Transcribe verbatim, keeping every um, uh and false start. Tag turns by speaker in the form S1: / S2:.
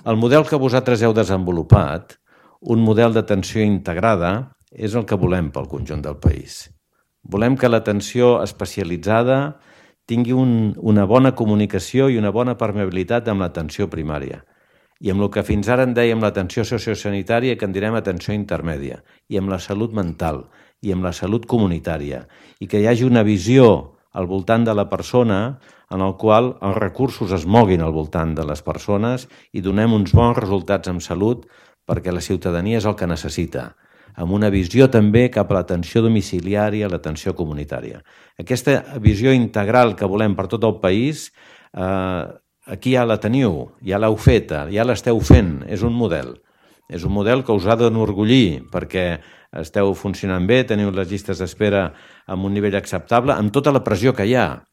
S1: El model que vosaltres heu desenvolupat, un model d'atenció integrada, és el que volem pel conjunt del país. Volem que l'atenció especialitzada tingui un, una bona comunicació i una bona permeabilitat amb l'atenció primària. I amb el que fins ara en dèiem l'atenció sociosanitària, que en direm atenció intermèdia, i amb la salut mental, i amb la salut comunitària, i que hi hagi una visió al voltant de la persona en el qual els recursos es moguin al voltant de les persones i donem uns bons resultats en salut perquè la ciutadania és el que necessita, amb una visió també cap a l'atenció domiciliària, l'atenció comunitària. Aquesta visió integral que volem per tot el país, eh, aquí ja la teniu, ja l'heu feta, ja l'esteu fent, és un model. És un model que us ha d'enorgullir perquè esteu funcionant bé, teniu les llistes d'espera amb un nivell acceptable, amb tota la pressió que hi ha.